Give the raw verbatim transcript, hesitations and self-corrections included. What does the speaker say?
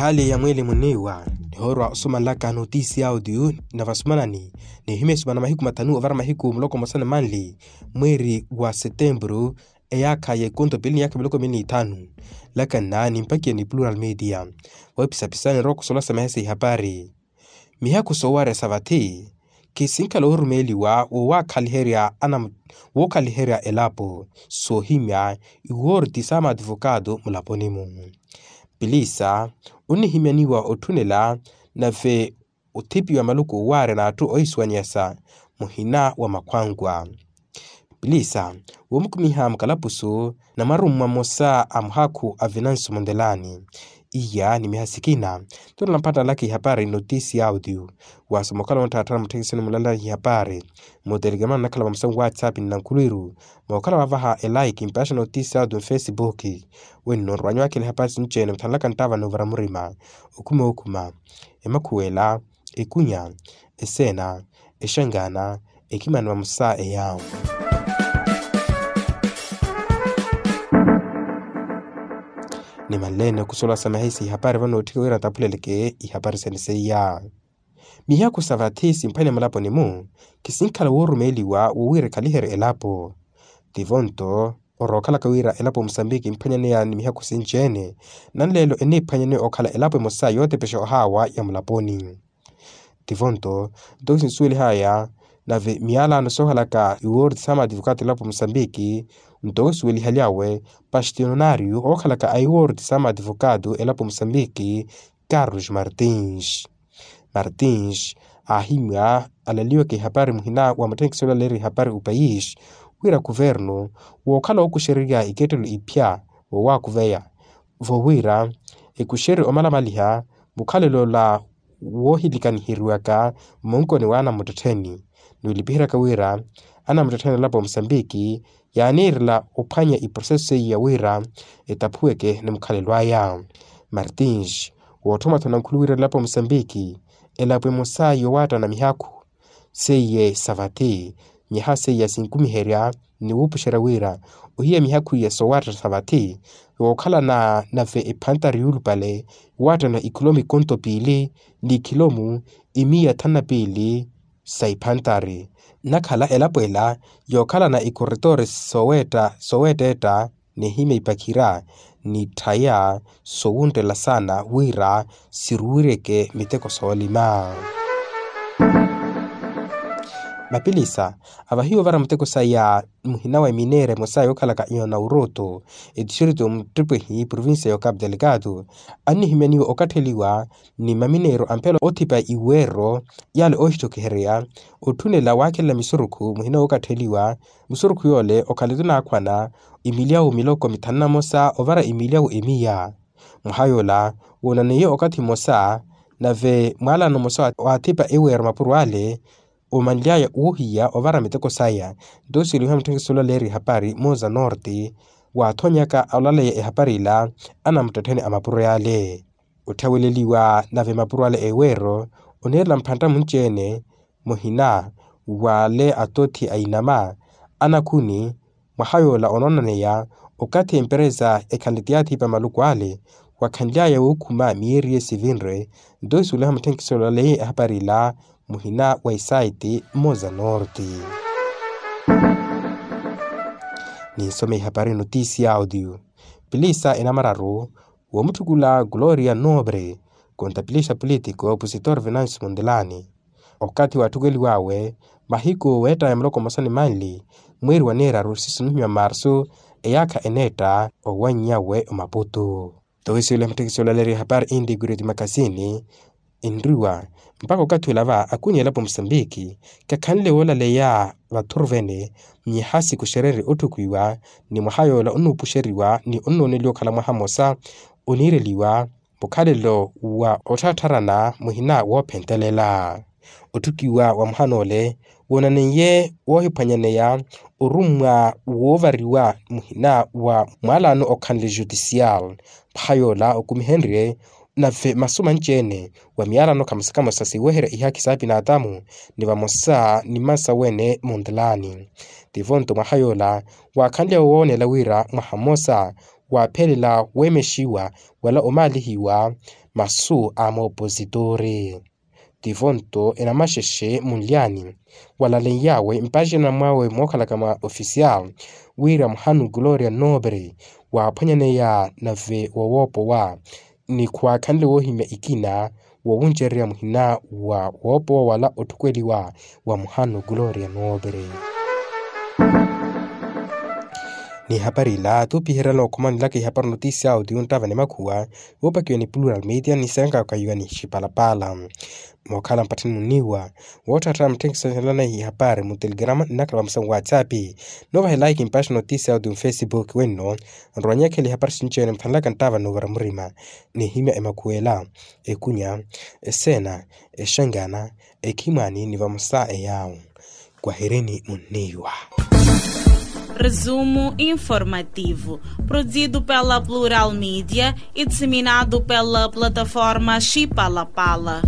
Hali ya mweeli muniiwa nihoorwa osumanlaka notisi ya audio na vasumanani nihimya esumana mahiku mathanu ovara mahiku muloko mosa ni manli mweeri wa setempuru eyaakha ya ikonto piili ni yaakha miloko miili ni ithanu. Lakanna nimpakiye ni plural media. Voipisapisani rooko solasamahe sa ihapari. Mihaku soowarya sa vathi kisinkhala orumeeliwa woowakhaliherya anamu wookhaliherya elapo soohimya iwoorti sa maadivokaato mulaponi-mu. Pilisa onihimyaniwa otthunela nave othipiwa maluku oowaarya n'atthu oisuwanyasa muhina wa makhwankwa. Pilisa woomukumiha mukalapusu na mwarummwa mmosa a muhakhu a vinansu munthelani. Iya ni miha sikina tuna nampattanlaka ihapari notisi ya audio. Waasoma okhala wontthaattha na mutthekisini mulala ihapari mutelikemana nakhala vamusa nwatsapp ni nankhulwiru mookhala wavaha elaiki mpaxa notisi ya audio mfesibuki. Wenno nrwanyu wakhela ihapari sinci-ene muthanlaka nttava n'uvara murima okhuma okhuma emakhuwela ekunya eseena exangana ekimani vamosa eya. Nimanleene okusola sa mahisi ihapari vano otthika wira ntaphuleleke ihapari sene seiya. Mihaku sa vathi simphwanya mulaponi-mu kisinkhala woorumeeliwa wowiira ekhaliherye elapo. Tivonto orookhalaka wira elapo musambiki emphwanyaneya ni mihaku sinci-ene nanleelo eniphwanyaneya okhala elapo emosa yootepexa ohaawa ya mulaponi. Tivonto nto sinsuwelihaya nave miyalano soohalaka iwoorti sa maadivokaato elapo musambiki nto osuwelihaly'awe pastiononario ookhalaka a iwoorti sa maadivokaato elapo musambiki carlos martins. Martins aahimya alaliwaka ihapari muhina wa mutthenkisi olaleerya ihapari opayis wira kuvernu wookhala ookuxererya ikettelo iphya woowakuveya vowira ekuxerye omalamaliha mukhalelo ola woohilikaniheriwaka mmunkoni wa anamuttettheni. Ni olipiheryaka wira anamuttettheni alapo musambiki yaaniirela ophwanya iproseso seiya wira etaphuweke ni mukhalelo aya. Martins wootthoma-tho nankhulu wira elapo musambiki elapo emosa yowaattana mihakhu seiye sa vathi. Miha seiya sinkumiherya ni wuupuxerya wira ohiya mihaku iya soowatta sa vathi wookhalana nave ephantari yuulupale waattana ikhilomu ikonto piili ni ikhilomu imiya thanu na piili sa iphantari. Nakhala elapo ela yookhalana ikoretoori sooweetta etta nihimya ipakhira ni tthaya sowunttela saana wira siruwiryeke miteko soolima. Mapilisa avahiwa ovara muteko saya muhina wa emineera emosa yookhalaka yoona uroto etistrito muttipehi provincia ya ocapu delegado annihimyaniwa okatteliwa ni mamineero a mphela oothipa iweero yale oohittokiherya otthunela waakhelela misurukhu muhina wookattheliwa. Musurukhu yoole okhale tunaakhwana imilyawu miloko mithanu na mosa ovara imilyawu emiya. Mwaha yoola woonaneiye okathi mmosa nave mwaalano mmosa waathipa eweero mapuro ale omanly'aya woohiya ovara miteko saya. Nto siluha mutthenkisi olaleerya ehapari moza norte waathonyaka olaleya ehapari ila anamuttettheni a mapuro yaale. Otthaweleliwa nave mapuro ale eweero oniirela mphantta munci-ene muhina wale atothi a inama anakhuni. Mwaha yoola onoonaneya okathi emperesa ekhanle ti yaathipa maluku ale wakhanly'aya wookhuma miyeeri ye sivinre. Nto isuweliha mutthenkisi olaleya ehapari ila muhina wa isaiti mmoza norte. Ninsome ihapari notisi ya audio. Pilisa enamararu woomutthukula gloria nobre konta pilisa politiko opositor venancio mondelani. Okathi waatthukeliw'awe mahiku weettaya muloko mmosa ni manli mweeri wa neeraru sisinihimya marsu eyaakha eneetta owanny'awe omaputu. Nto wisiwela mutthekisi olaleerya ehapari inti kureti makasini enriwa mpakha okathi olava akunya elapo musambiki khakhanle woolaleya vathuruvene. Myaha sikuxererye otthukiwa ni mwaha yoola onuupuxeriwa ni onnooneliwa okhala mwaha mmosa oniireliwa mukhalelo wa ottharattharana muhina woophentelela. Otthukiwa wa mwaha noole woonaneiye woohiphwanyaneya orummwa woovariwa muhina wa mwaalano okhanle jutisial. Mwaha yoola okumihenrye nave masu manci-ene wa miyalano kamosa kamosa siweherya ihaki sa apinatamu ni vamosa ni mmansawene muntelani. Tivo nto mwaha yoola waakhanlya woonela wira mwaha mmosa waaphelela weemexiwa wala omaalihiwa masu a moopositore. Tivo nto enamaxexe munlyani walaleiyawe mpaxina mwawe mookhalaka mwa ofisial wira muhanu gloria nobre waaphwanyaneya nave wowoopowa ni khwaakhanle woohimya ikina wowuncererya muhina wa woopowa wala otthukweliwa wa muhanu gloria nobre. Ni hapari ila tuupiherela okhomanelaka ihapari notisia audio nttava ni makhuwa woopakiwa ni plural media ni seenkakayiwa ni xipalapala. Mookhala mpatthani muniiwa wootthattha mutthenkisonelana ihapari mu telegrama nnakhala vamusa mu whatsapp. Noovahelayi kimpaxi notisia audio mu facebook wenno nrowanyekhela ihapari sinci ene muthanlaka nttava noovara murima nihimya emakhuwela ekunya eseena exangana ekhimwani ni vamosa eyawo. Kwahirini munniiwa. Resumo informativo produzido pela plural media e disseminado pela plataforma xipalapala.